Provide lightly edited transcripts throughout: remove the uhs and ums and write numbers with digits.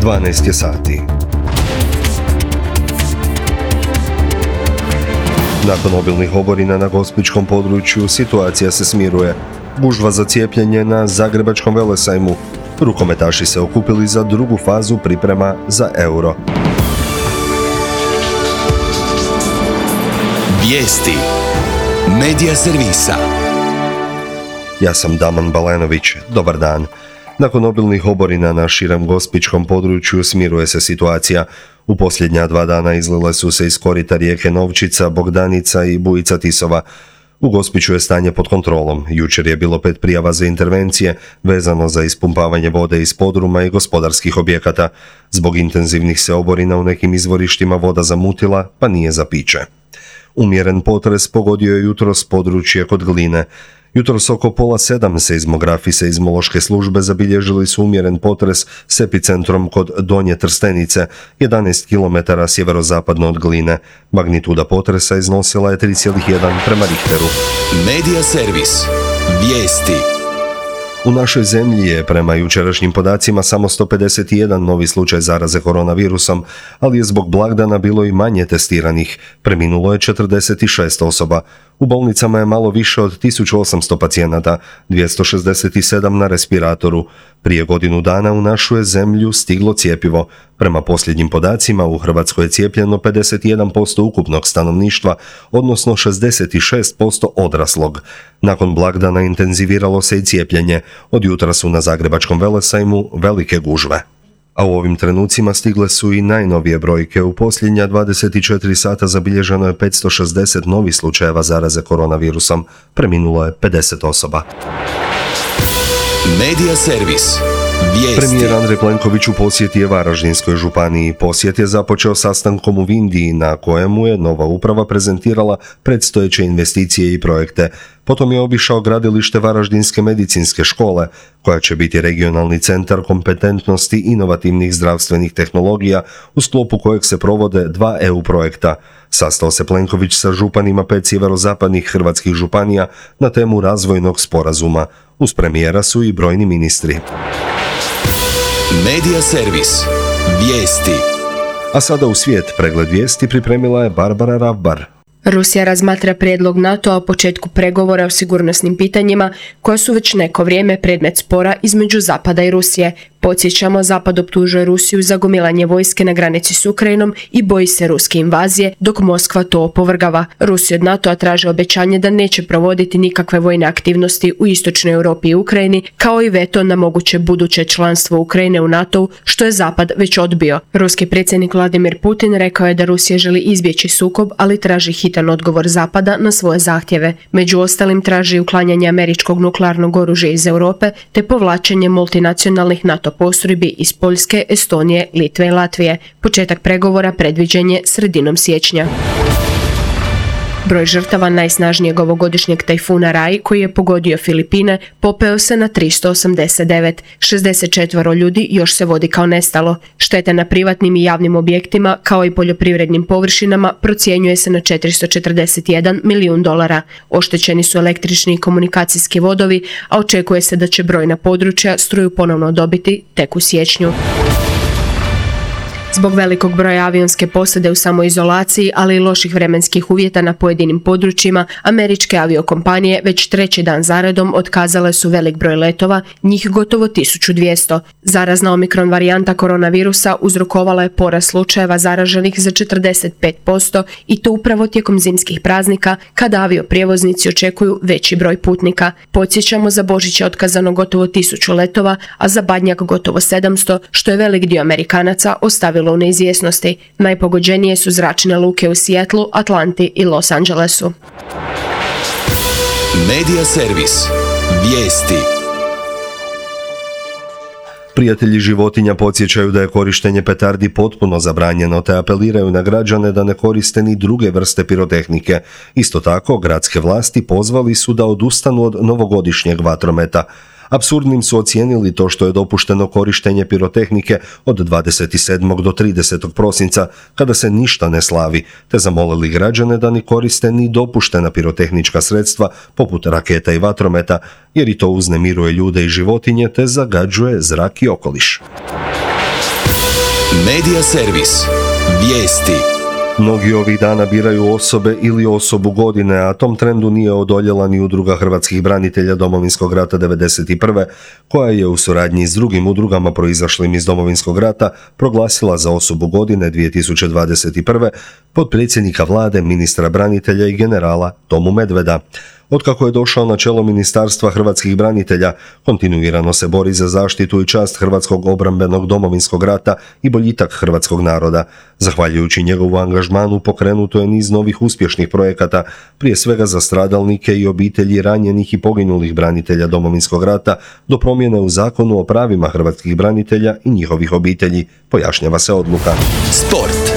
12 je sati. Nakon obilnih oborina na gospićkom području situacija se smiruje. Gužva za cijepljenje na Zagrebačkom velesajmu. Rukometaši se okupili za drugu fazu priprema za Euro. Vijesti Medija servisa. Ja sam Daman Balenović. Dobar dan. Nakon obilnih oborina na širem gospićkom području smiruje se situacija. U posljednja 2 dana izlile su se iz korita rijeke Novčica, Bogdanica i Bujica Tisova. U Gospiću je stanje pod kontrolom. Jučer je bilo 5 prijava za intervencije vezano za ispumpavanje vode iz podruma i gospodarskih objekata. Zbog intenzivnih se oborina u nekim izvorištima voda zamutila, pa nije za piće. Umjeren potres pogodio je jutros područje kod Gline. Jutros oko 6:30 seizmografi seizmološke službe zabilježili su umjeren potres s epicentrom kod Donje Trstenice, 11 km sjeverozapadno od Gline. Magnituda potresa iznosila je 3,1 prema Richteru. Medija servis. Vijesti. U našoj zemlji je prema jučerašnjim podacima samo 151 novi slučaj zaraze koronavirusom, ali je zbog blagdana bilo i manje testiranih. Preminulo je 46 osoba. U bolnicama je malo više od 1800 pacijenata, 267 na respiratoru. Prije godinu dana u našu je zemlju stiglo cjepivo. Prema posljednjim podacima u Hrvatskoj je cijepljeno 51% ukupnog stanovništva, odnosno 66% odraslog. Nakon blagdana intenziviralo se i cijepljenje. Od jutra su na Zagrebačkom velesajmu velike gužve. A u ovim trenucima stigle su i najnovije brojke. U posljednja 24 sata zabilježeno je 560 novih slučajeva zaraze koronavirusom. Preminulo je 50 osoba. Medija servis. Vijesti. Premijer Andrej Plenković u posjeti je Varaždinskoj županiji. Posjet je započeo sastankom u Vindiji na kojemu je nova uprava prezentirala predstojeće investicije i projekte. Potom je obišao gradilište Varaždinske medicinske škole, koja će biti regionalni centar kompetentnosti inovativnih zdravstvenih tehnologija, u sklopu kojeg se provode 2 EU projekta. Sastao se Plenković sa županima 5 sjeverozapadnih hrvatskih županija na temu razvojnog sporazuma. Uz premijera su i brojni ministri. Medija servis. Vijesti. A sada u svijet pregled vijesti pripremila je Barbara Ravbar. Rusija razmatra prijedlog NATO-a o početku pregovora o sigurnosnim pitanjima koja su već neko vrijeme predmet spora između Zapada i Rusije. Podsjećamo, Zapad optužuje Rusiju za gomilanje vojske na granici s Ukrajinom i boji se ruske invazije, dok Moskva to opovrgava. Rusija od NATO-a traže obećanje da neće provoditi nikakve vojne aktivnosti u istočnoj Europi i Ukrajini, kao i veto na moguće buduće članstvo Ukrajine u NATO-u, što je Zapad već odbio. Ruski predsjednik Vladimir Putin rekao je da Rusija želi izbjeći sukob, ali traži hitan odgovor Zapada na svoje zahtjeve. Među ostalim traži uklanjanje američkog nuklearnog oružja iz Europe te povlačenje multinacionalnih NATO postrojbi iz Poljske, Estonije, Litve i Latvije. Početak pregovora predviđen je sredinom siječnja. Broj žrtava najsnažnijeg ovogodišnjeg tajfuna Rai, koji je pogodio Filipine, popeo se na 389. 64 ljudi još se vodi kao nestalo. Štete na privatnim i javnim objektima, kao i poljoprivrednim površinama, procjenjuje se na $441 milijun. Oštećeni su električni i komunikacijski vodovi, a očekuje se da će brojna područja struju ponovno dobiti tek u siječnju. Zbog velikog broja avionske posade u samoizolaciji, ali i loših vremenskih uvjeta na pojedinim područjima, američke aviokompanije već 3. dan zaredom otkazale su velik broj letova, njih gotovo 1200. Zarazna omikron varijanta koronavirusa uzrokovala je porast slučajeva zaraženih za 45% i to upravo tijekom zimskih praznika, kada avioprijevoznici očekuju veći broj putnika. Podsjećamo, za Božić je otkazano gotovo 1000 letova, a za Badnjak gotovo 700, što je velik dio Amerikanaca ostavilo u neizvjesnosti. Najpogođenije su zračne luke u Seattlu, Atlanti i Los Angelesu. Medija servis. Vijesti. Prijatelji životinja podsjećaju da je korištenje petardi potpuno zabranjeno, te apeliraju na građane da ne koriste ni druge vrste pirotehnike. Isto tako, gradske vlasti pozvali su da odustanu od novogodišnjeg vatrometa. Apsurdnim su ocijenili to što je dopušteno korištenje pirotehnike od 27. do 30. prosinca, kada se ništa ne slavi, te zamolili građane da ne koriste ni dopuštena pirotehnička sredstva poput raketa i vatrometa, jer i to uznemiruje ljude i životinje te zagađuje zrak i okoliš. Medija servis. Vijesti. Mnogi ovih dana biraju osobe ili osobu godine, a tom trendu nije odoljela ni Udruga hrvatskih branitelja Domovinskog rata 1991. koja je u suradnji s drugim udrugama proizašlim iz Domovinskog rata proglasila za osobu godine 2021. potpredsjednika vlade, ministra branitelja i generala Tomu Medveda. Otkako je došao na čelo Ministarstva hrvatskih branitelja, kontinuirano se bori za zaštitu i čast hrvatskog obrambenog Domovinskog rata i boljitak hrvatskog naroda. Zahvaljujući njegovu angažmanu pokrenuto je niz novih uspješnih projekata, prije svega za stradalnike i obitelji ranjenih i poginulih branitelja Domovinskog rata, do promjene u Zakonu o pravima hrvatskih branitelja i njihovih obitelji, pojašnjava se odluka. Sport.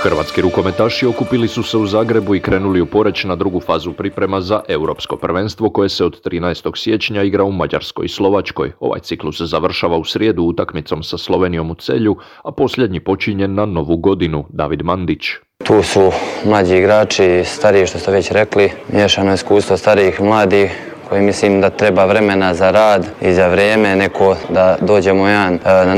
Hrvatski rukometaši okupili su se u Zagrebu i krenuli u Poreč na drugu fazu priprema za Europsko prvenstvo koje se od 13. siječnja igra u Mađarskoj i Slovačkoj. Ovaj ciklus se završava u srijedu utakmicom sa Slovenijom u Celju, a posljednji počinje na Novu godinu. David Mandić. Tu su mlađi igrači, stariji što ste već rekli, miješano iskustvo starijih i mladih, koji mislim da treba vremena za rad i za vrijeme neko da dođemo na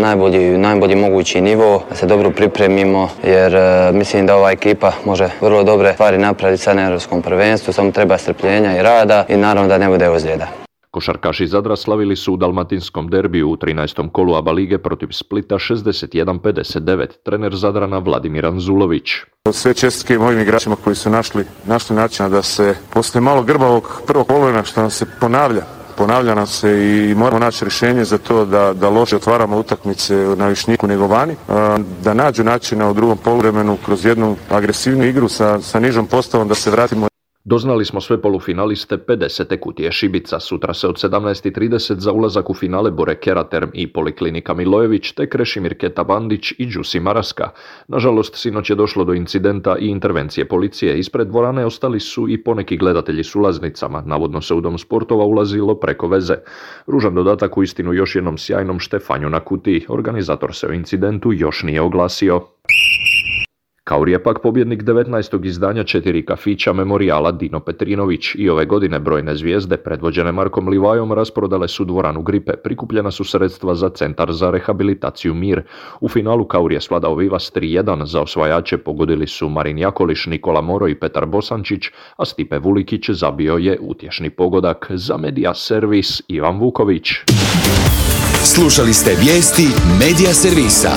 najbolji mogući nivo, da se dobro pripremimo, jer mislim da ova ekipa može vrlo dobre stvari napraviti sad na Europskom prvenstvu, samo treba strpljenja i rada i naravno da ne bude ozljeda. Košarkaši Zadra slavili su u dalmatinskom derbiju u 13. kolu ABA lige protiv Splita 61-59. Trener Zadrana Vladimir Anzulović. Sve čestitke mojim igračima koji su našli načina da se poslije malo grbavog prvog poluvremena što nam se ponavlja nam se i moramo naći rješenje za to da loše otvaramo utakmice na Višnjiku nego vani, da nađu načina u drugom poluvremenu kroz jednu agresivnu igru sa nižom postavom da se vratimo. Doznali smo sve polufinaliste 50. kutije Šibica. Sutra se od 17:30 za ulazak u finale bore Keraterm i Poliklinika Milojević, te Krešimir Keta Bandić i Đusi Maraska. Nažalost, sinoć je došlo do incidenta i intervencije policije. Ispred dvorane ostali su i poneki gledatelji s ulaznicama. Navodno se u dom sportova ulazilo preko veze. Ružan dodatak u istinu još jednom sjajnom štefanju na kutiji. Organizator se o incidentu još nije oglasio. Kauri je pak pobjednik 19. izdanja 4 kafića memorijala Dino Petrinović i ove godine brojne zvijezde predvođene Markom Livajom rasprodale su dvoranu Gripe. Prikupljena su sredstva za Centar za rehabilitaciju Mir. U finalu Kauri je svladao Vivas 3-1, za osvajače pogodili su Marin Jakoliš, Nikola Moro i Petar Bosančić, a Stipe Vulikić zabio je utješni pogodak. Za Medija servis Ivan Vuković. Slušali ste vijesti Medija servisa.